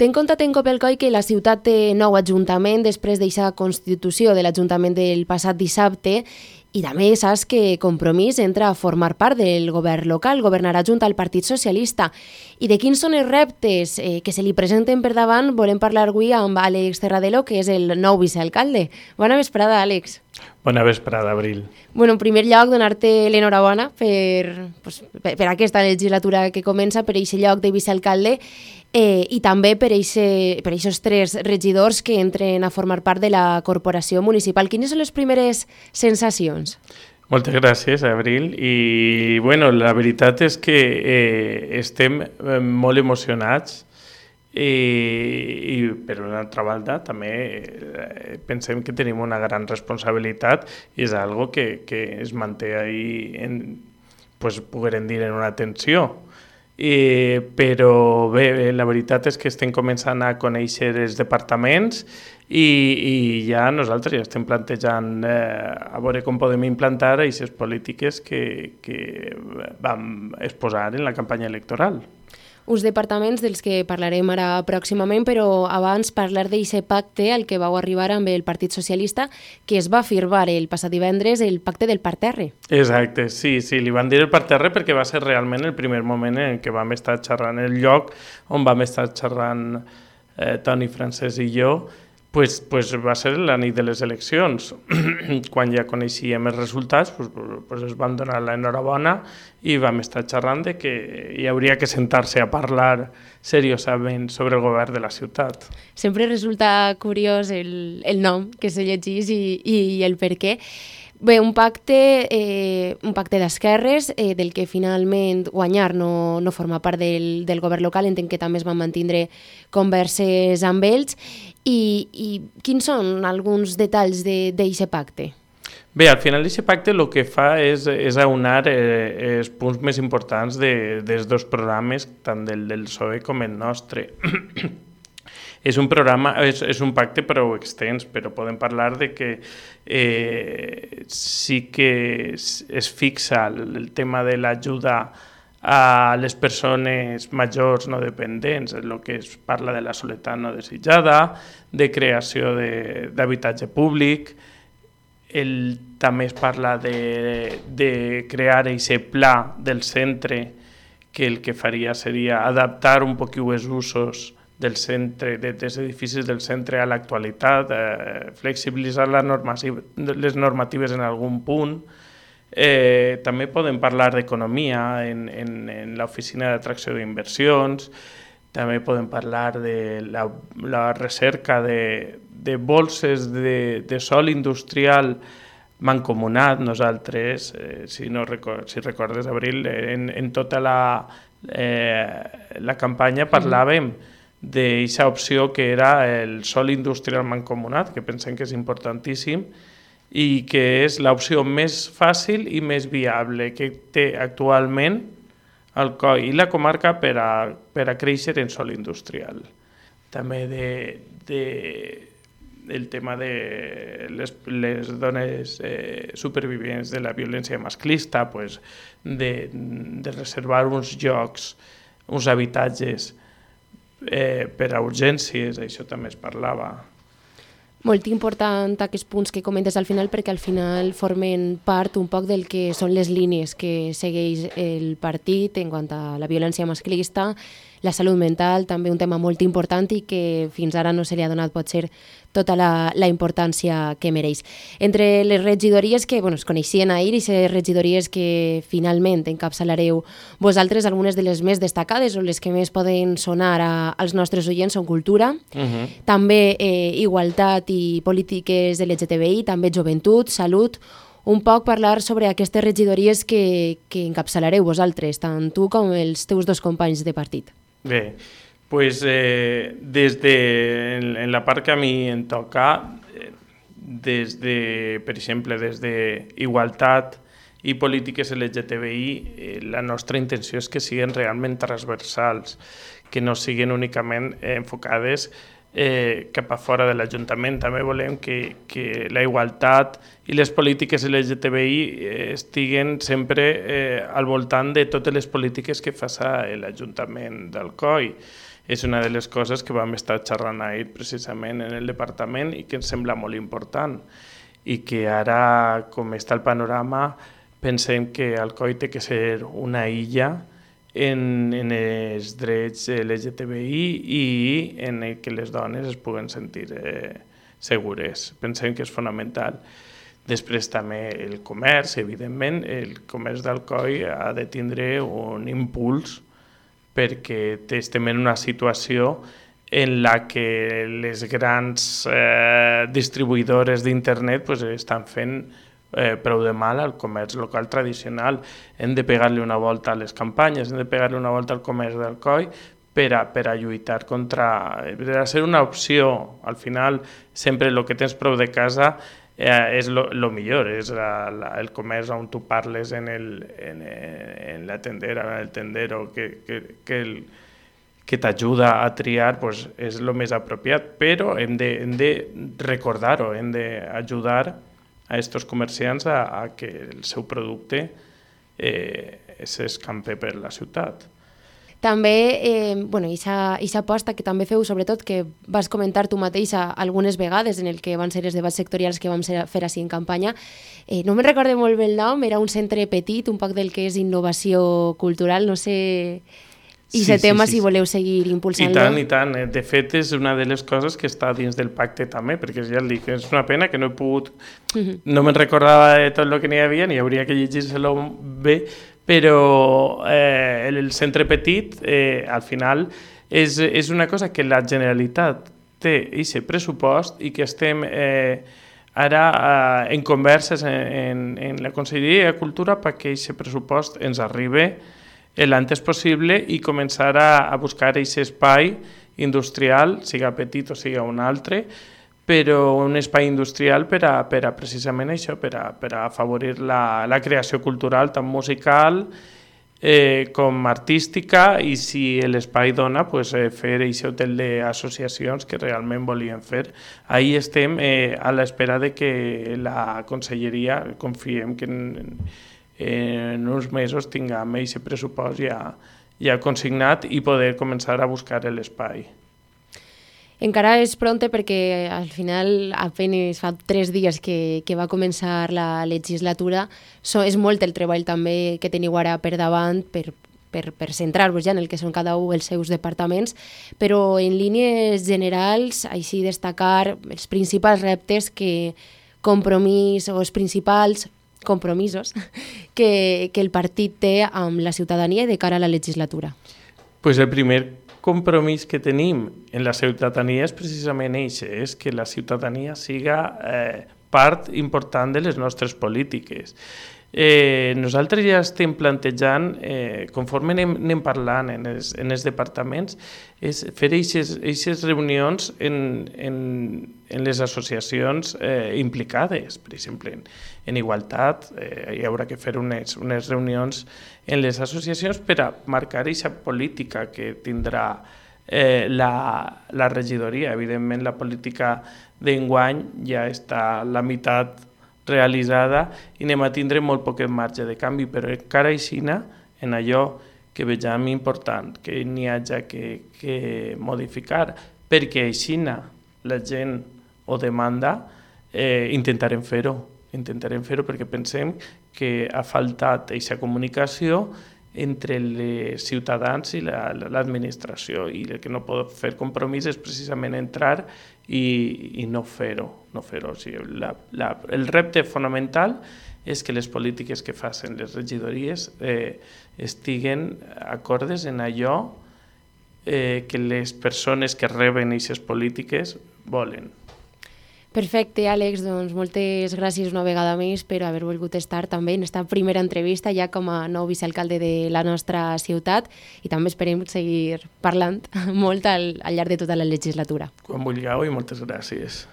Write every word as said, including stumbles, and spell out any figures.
Ten comptat en Copelcoy que la ciutat té nou ajuntament després d'aquesta constitució de l'Ajuntament del passat dissabte i també saps que Compromís entra a formar part del govern local, governarà junt al Partit Socialista. I de quins són els reptes eh, que se li presenten per davant volem parlar avui amb Àlex Terradelo, que és el nou vicealcalde. Bona vesprada, Àlex. Bona vesprada, Abril. Bueno, en primer lloc, donar-te l'enhorabona per, pues, per, per aquesta legislatura que comença, per aquest lloc de vicealcalde, eh, i també per aquests tres regidors que entren a formar part de la corporació municipal. Quines són les primeres sensacions? Moltes gràcies, Abril. I bueno, la veritat és que eh, estem molt emocionats i, i per una altra banda també eh, pensem que tenim una gran responsabilitat i és algo que, que es manté ahí en, pues, poguérem dir, en una tensió. I, però bé, la veritat és que estem començant a conèixer els departaments i, i ja nosaltres ja estem plantejant eh, a veure com podem implantar aquestes polítiques que, que vam exposar en la campanya electoral. Uns departaments dels que parlarem ara pròximament, però abans parlar d'aquest pacte al que vau arribar amb el Partit Socialista, que es va firmar el passat divendres, el pacte del parterre. Exacte, sí, sí, li van dir el parterre perquè va ser realment el primer moment en què vam estar xerrant, el lloc on vam estar xerrant eh, Toni, Francesc i jo, pues, pues va ser la nit de les eleccions. Quan ja coneixíem els resultats, pues, pues es van donar l'enhorabona i vam estar xerrant de que hi hauria que sentar-se a parlar seriosament sobre el govern de la ciutat. Sempre resulta curiós el, el nom que se llegís i, i el per què. Bé, un pacte, eh, un pacte d'esquerres, eh, del que finalment guanyar no, no forma part del, del govern local, entenc que també es van mantindre converses amb ells. I, i quins són alguns detalls d'aquest pacte? Bé, al final aquest pacte el que fa és, és aunar eh, els punts més importants de, dels dos programes, tant del del P S O E com el nostre. És un programa, és, és un pacte prou extens, però podem parlar de que eh, sí que es, es fixa el, el tema de l'ajuda a les persones majors no dependents, el que es parla de la soledat no desitjada, de creació d'habitatge públic, el, també es parla de, de crear aquest pla del centre que el que faria seria adaptar un poquet els usos del centre, dels edificis del centre a l'actualitat, eh, flexibilitzar les normatives, les normatives en algun punt. Eh, també podem parlar d'economia en, en, en l'oficina d'atracció d'inversions, també podem parlar de la, la recerca de, de bolses de, de sòl industrial mancomunat. Nosaltres, eh, si, no record, si recordes, Abril, en, en tota la, eh, la campanya parlàvem d'aquesta opció que era el sòl industrial mancomunat, que pensem que és importantíssim, i que és l'opció més fàcil i més viable que té actualment el C O I i la comarca per a, per a créixer en sòl industrial. També de, de, el tema de les, les dones eh, supervivents de la violència masclista, pues, de, de reservar uns llocs, uns habitatges eh, per a urgències, això també es parlava. Molt important aquests punts que comentes al final, perquè al final formen part un poc del que són les línies que segueix el partit en quant a la violència masclista, la salut mental, també un tema molt important i que fins ara no se li ha donat potser tota la, la importància que mereix. Entre les regidories que bueno, es coneixien ahir i les regidories que finalment encapçalareu vosaltres, algunes de les més destacades o les que més poden sonar a, als nostres oients són cultura, uh-huh. també eh, igualtat i polítiques L G T B I, també joventut, salut, un poc parlar sobre aquestes regidories que, que encapçalareu vosaltres, tant tu com els teus dos companys de partit. Bé, pues, eh, des de, en, en la part que a mi em toca, eh, des de, per exemple, des d'igualtat i polítiques L G T B I, eh, la nostra intenció és que siguin realment transversals, que no siguin únicament eh, enfocades eh, cap a fora de l'Ajuntament. També volem que, que la igualtat i les polítiques L G T B I eh, estiguen sempre eh, al voltant de totes les polítiques que fa l'Ajuntament del C O I. és una de les coses que vam estar xerrant ahir precisament en el departament i que ens sembla molt important i que ara, com està el panorama, pensem que Alcoi té que ser una illa en, en els drets L G T B I i en el que les dones es puguen sentir eh, segures. Pensem que és fonamental. Després també el comerç, evidentment, el comerç d'Alcoi ha de tindre un impuls perquè estem en una situació en la que les grans eh, distribuïdores d'internet pues, estan fent eh, prou de mal al comerç local tradicional. Hem de pegar-li una volta a les campanyes, hem de pegar-li una volta al comerç d'Alcoi per a, per a lluitar contra... per a ser una opció. Al final, sempre el que tens prou de casa eh, és el millor, és la, la, el comerç on tu parles en, el, en, en la tendera, en el tendero, que, que, que, el, que t'ajuda a triar, pues, és el més apropiat, però hem de, hem de recordar-ho, hem d'ajudar a aquests comerciants a, a que el seu producte eh, s'escampe per la ciutat. També, eh, bueno, aquesta aposta que també feu, sobretot, que vas comentar tu mateixa algunes vegades en el que van ser els debats sectorials que vam fer així en campanya, eh, no me'n recorde molt bé el nom, era un centre petit, un poc del que és innovació cultural, no sé... I sí, aquest tema, sí, sí, si voleu seguir impulsant-lo. I tant, i tant. De fet, és una de les coses que està dins del pacte també, perquè ja el dic, és una pena que no he pogut... Uh-huh. No me'n recordava de tot el que n'hi havia, ni hauria que llegir-se-lo bé, però eh, el centre petit, eh, al final, és, és una cosa que la Generalitat té aquest pressupost i que estem eh, ara eh, en converses en, en la Conselleria de Cultura perquè aquest pressupost ens arribi l'antes possible i començar a, a buscar aquest espai industrial, siga petit o siga un altre, però un espai industrial per a, per a precisament això, per a, per a afavorir la, la creació cultural, tant musical eh, com artística, i si l'espai dona, pues, eh, fer aquest hotel d'associacions que realment volien fer. Ahí estem eh, a l'espera de que la Conselleria, confiem que en, en uns mesos tinguem aquest pressupost ja, ja consignat i poder començar a buscar l'espai. Encara és pronte perquè al final apenas fa tres dies que, que va començar la legislatura. So, és molt el treball també que teniu ara per davant per, per, per centrar-vos ja en el que són cada un els seus departaments, però en línies generals, així destacar els principals reptes que compromís o els principals compromisos que, que el partit té amb la ciutadania de cara a la legislatura. Pues el primer compromís que tenim en la ciutadania és precisament això, és que la ciutadania siga eh, part important de les nostres polítiques. Eh, nosaltres ja estem plantejant, eh, conforme anem, anem parlant en els, en els departaments, és fer aquestes reunions en, en, en les associacions eh, implicades, per exemple, en, en igualtat, eh, hi haurà que fer unes, unes reunions en les associacions per a marcar aquesta política que tindrà eh, la, la regidoria. Evidentment, la política d'enguany ja està la meitat realitzada i anem a tindre molt poc marge de canvi, però encara així en allò que vegem important, que n'hi hagi que, que modificar, perquè així la gent ho demanda, eh, intentarem fer-ho, intentarem fer-ho perquè pensem que ha faltat aquesta comunicació entre els ciutadans i la, l'administració, i el que no pot fer compromís és precisament entrar i, i no fer-ho. No fer-ho. O sigui, la, la, el repte fonamental és que les polítiques que facin les regidories eh, estiguen acordes en allò eh, que les persones que reben aquestes polítiques volen. Perfecte, Àlex, doncs moltes gràcies una vegada més per haver volgut estar també en aquesta primera entrevista ja com a nou vicealcalde de la nostra ciutat, i també esperem seguir parlant molt al, al llarg de tota la legislatura. Quan vulgueu, i moltes gràcies.